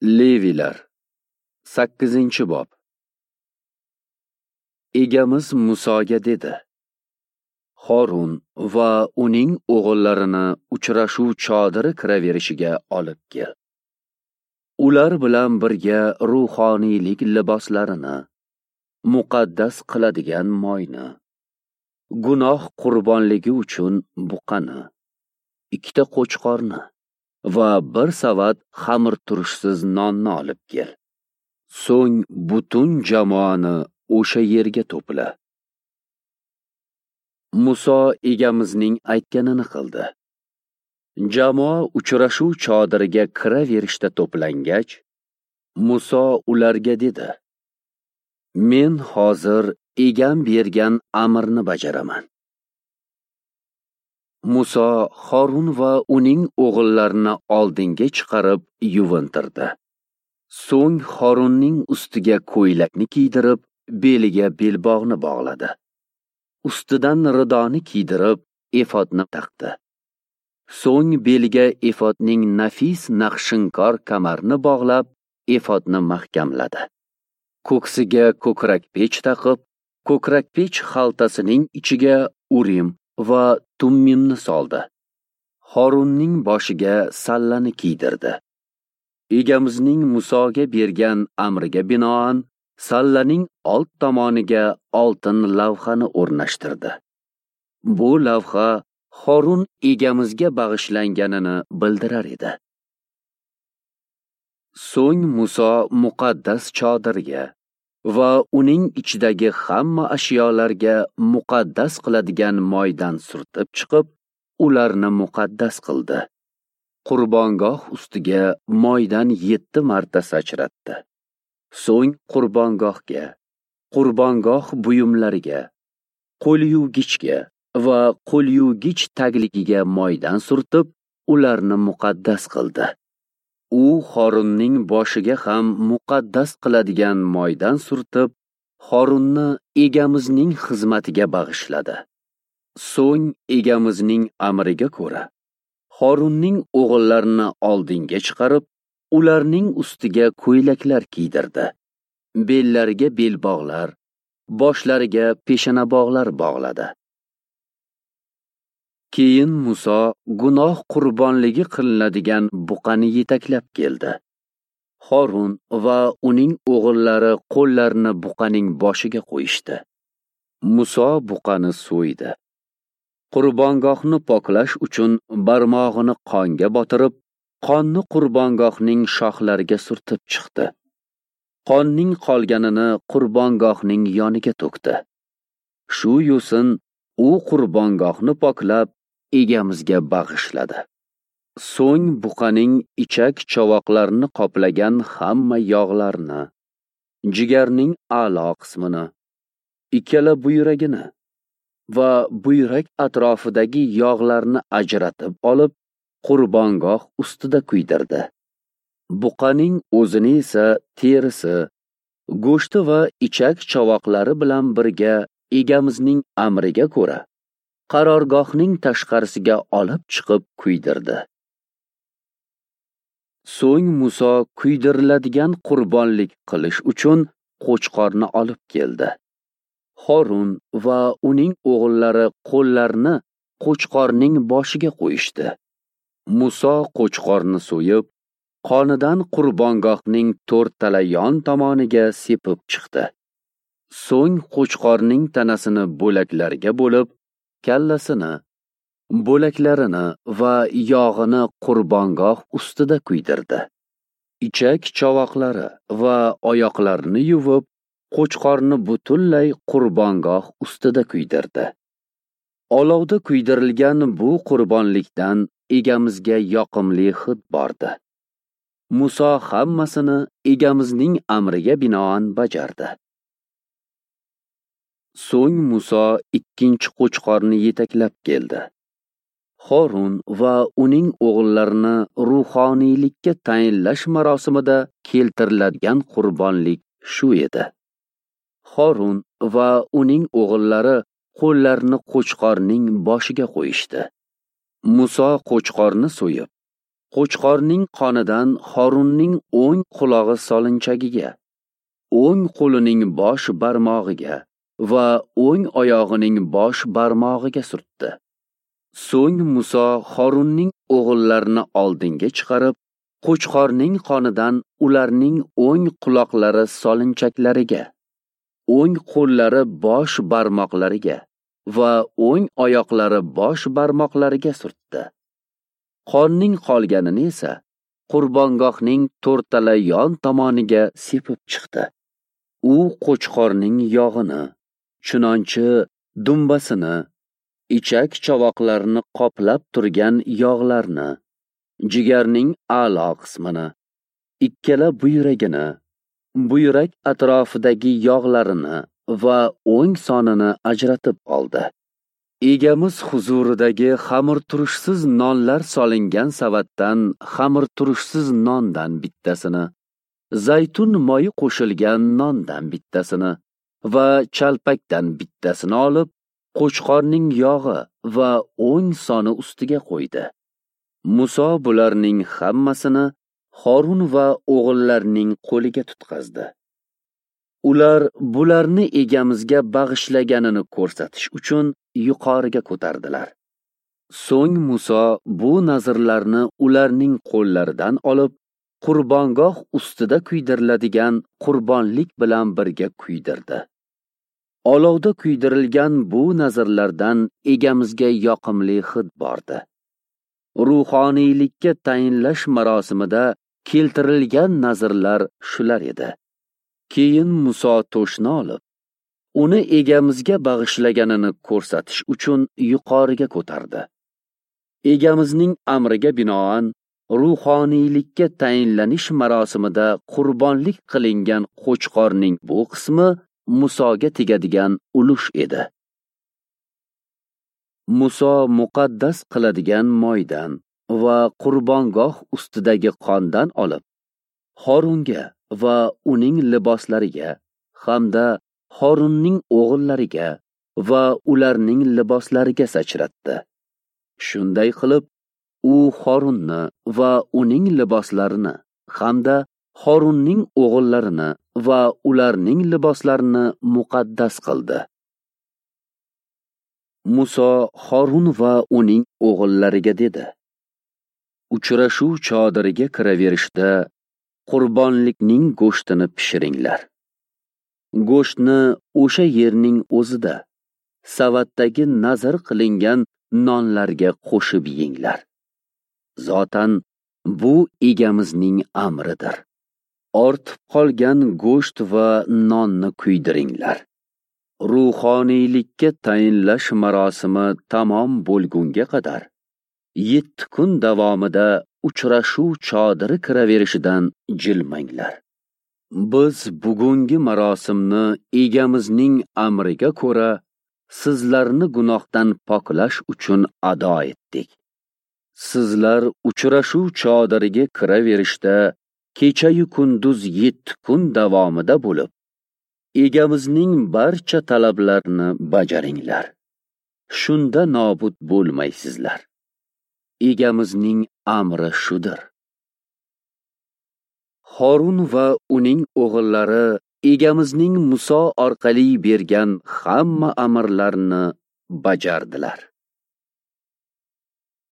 Levilar 8-bob. Egamiz Musoga dedi: Horun va uning o'g'illarini uchrashuv chodiri kiraverishiga olib kel. Ular bilan birga ruhoniylik liboslarini, muqaddas qiladigan moyni, gunoh qurbonligi uchun buqani, 2 qo'chqorni va 1 savat xamirturushsiz nonni olib kel. So'ng butun jamoani o'sha yerga to'pla. Muso egamizning aytganini qildi. Jamoa uchrashuv chodiriga kiraverishda to'plangach, Muso ularga dedi: Men hozir egam bergan amrni bajaraman. Muso Horun va uning o'g'illarini oldinga chiqarib yuvintirdi. So'ng Horunning ustiga ko'ylakni kiydirib, beliga belbog'ni bog'ladi. Ustidan ridoni kiydirib, efodni taqdi. So'ng beliga efodning nafis naqshinkor kamarni bog'lab, efodni mahkamladi. Ko'ksiga ko'krakpech taqib, ko'krakpech xaltasining ichiga Urim va Tummimni soldi. Horunning boshiga sallani kiydirdi. Egamizning Musoga bergan amriga binoan sallaning old tomoniga oltin lavhani o'rnashtirdi. Bu lavha Horun egamizga bag'ishlanganini bildirar edi. So'ng Muso muqaddas chodirga va uning ichidagi hamma ashyolarga muqaddas qiladigan moydan surtib chiqib, ularni muqaddas qildi. Qurbongoh ustiga moydan 7 marta sachratdi. So'ng qurbongohga, qurbongoh buyumlariga, qo'l yuvgichga va qo'l yuvgich tagligiga moydan surtib, ularni muqaddas qildi. U Horunning boshiga ham muqaddas qiladigan moydan surtib, Horunni egamizning xizmatiga bag'ishladi. So'ng egamizning amriga ko'ra, Horunning o'g'illarini oldinga chiqarib, ularning ustiga ko'ylaklar kiydirdi. Bellariga belbog'lar, boshlariga peshanabog'lar bog'ladi. Keyin Muso gunoh qurbonligi qilinadigan buqani yetaklab keldi. Horun va uning o'g'illari qo'llarini buqaning boshiga qo'yishdi. Muso buqani so'ydi. Qurbongohni poklash uchun barmog'ini qonga botirib, qonni qurbongohning shoxlariga surtib chiqdi. Qonning qolganini qurbongohning yoniga to'kdi. Shu yo'sin u qurbongohni poklab, egamizga bag'ishladi. So'ng buqaning ichak chovoqlarini qoplagan hamma yog'larni, jigarning a'lo qismini, ikkala buyragini va buyrak atrofidagi yog'larni ajratib olib, qurbongoh ustida kuydirdi. Buqaning o'zini esa terisi, go'shti va ichak chovoqlari bilan birga egamizning amriga ko'ra qarorgohning tashqarisiga olib chiqib kuydirdi. So'ng Muso kuydiriladigan qurbonlik qilish uchun qo'chqorni olib keldi. Horun va uning o'g'illari qo'llarini qo'chqorning boshiga qo'yishdi. Muso qo'chqorni so'yib, qonidan qurbongohning 4 tala yon tomoniga sepib chiqdi. So'ng qo'chqorning tanasini bo'laklarga bo'lib, kallasini, bo'laklarini va yog'ini qurbongoh ustida kuydirdi. Ichak chovoqlari va oyoqlarini yuvib, qo'chqorni butunlay qurbongoh ustida kuydirdi. Olovda kuydirilgan bu qurbonlikdan egamizga yoqimli hid bordi. Muso hammasini egamizning amriga binoan bajardi. So'ng Muso 2 qo'chqorni yetaklab keldi. Horun va uning o'g'illarini ruhoniylikka tayinlash marosimida keltiriladigan qurbonlik shu edi. Horun va uning o'g'illari qo'llarini qo'chqorning boshiga qo'yishdi. Muso qo'chqorni so'yib, Qo'chqorning qonidan Horunning o'ng qulog'i solinchagiga, o'ng qo'lining bosh barmog'iga va o'ng oyog'ining bosh barmog'iga surtdi. So'ng Muso Horunning o'g'illarini oldinga chiqarib, qo'chqorning qonidan ularning o'ng quloqlari solinchaklariga, o'ng qo'llari bosh barmoqlariga va o'ng oyoqlari bosh barmoqlariga surtdi. Qonning qolganini esa qurbongohning to'rtala yon tomoniga sepib chiqdi. U qo'chqorning yog'ini, chunonchi dumbasini, ichak chovoqlarini qoplab turgan yog'larni, jigarning a'lo qismini, ikkala buyragini, buyrak atrofidagi yog'larini va o'ng sonini ajratib oldi. Egamiz huzuridagi xamirturushsiz nonlar solingan savatdan xamirturushsiz nondan bittasini, zaytun moyi qo'shilgan nondan bittasini va chalpakdan bittasini olib, qo'chqorning yog'i va o'ng soni ustiga qo'ydi. Muso bularning hammasini Horun va o'g'illarining qo'liga tutqazdi. Ular bularni egamizga bag'ishlaganini ko'rsatish uchun yuqoriga ko'tardilar. So'ng Muso bu nazrlarni ularning qo'llaridan olib, qurbongoh ustida kuydiriladigan qurbonlik bilan birga kuydirdi. Olovda kuydirilgan bu nazrlardan egamizga yoqimli hid bordi. Ruhoniylikka tayinlash marosimida keltirilgan nazrlar shular edi. Keyin Muso to'shni olib, uni egamizga bag'ishlaganini ko'rsatish uchun yuqoriga ko'tardi. Egamizning amriga binoan ruhoniylikka tayinlanish marosimida qurbonlik qilingan qo'chqorning bu qismi Musoga tegadigan ulush edi. Muso muqaddas qiladigan moydan va qurbongoh ustidagi qondan olib, Horunga va uning liboslariga hamda Horunning o'g'illariga va ularning liboslariga sachratdi. Shunday qilib, u Horunni va uning liboslarini hamda Horunning o'g'illarini va ularning liboslarini muqaddas qildi. Muso Horun va uning o'g'illariga dedi: Uchrashuv chodiriga kiraverishda qurbonlikning go'shtini pishiringlar. Go'shtni o'sha yerning o'zida savatdagi nazr qilingan nonlarga qo'shib yenglar. Zotan bu egamizning amridir. Ortib qolgan go'sht va nonni kuydiringlar. Ruhoniylikka tayinlash marosimi tamom bo'lgunga qadar 7 kun davomida uchrashuv chodiri kiraverishidan jilmanglar. Biz bugungi marosimni egamizning amriga ko'ra sizlarni gunohdan poklash uchun ado etdik. Sizlar uchrashuv chodiriga kiraverishda kecha-yu kunduz 7 kun davomida bo'lib, egamizning barcha talablarini bajaringlar. Shunda nobud bo'lmaysizlar. Egamizning amri shudir. Horun va uning o'g'illari egamizning Muso orqali bergan hamma amrlarini bajardilar.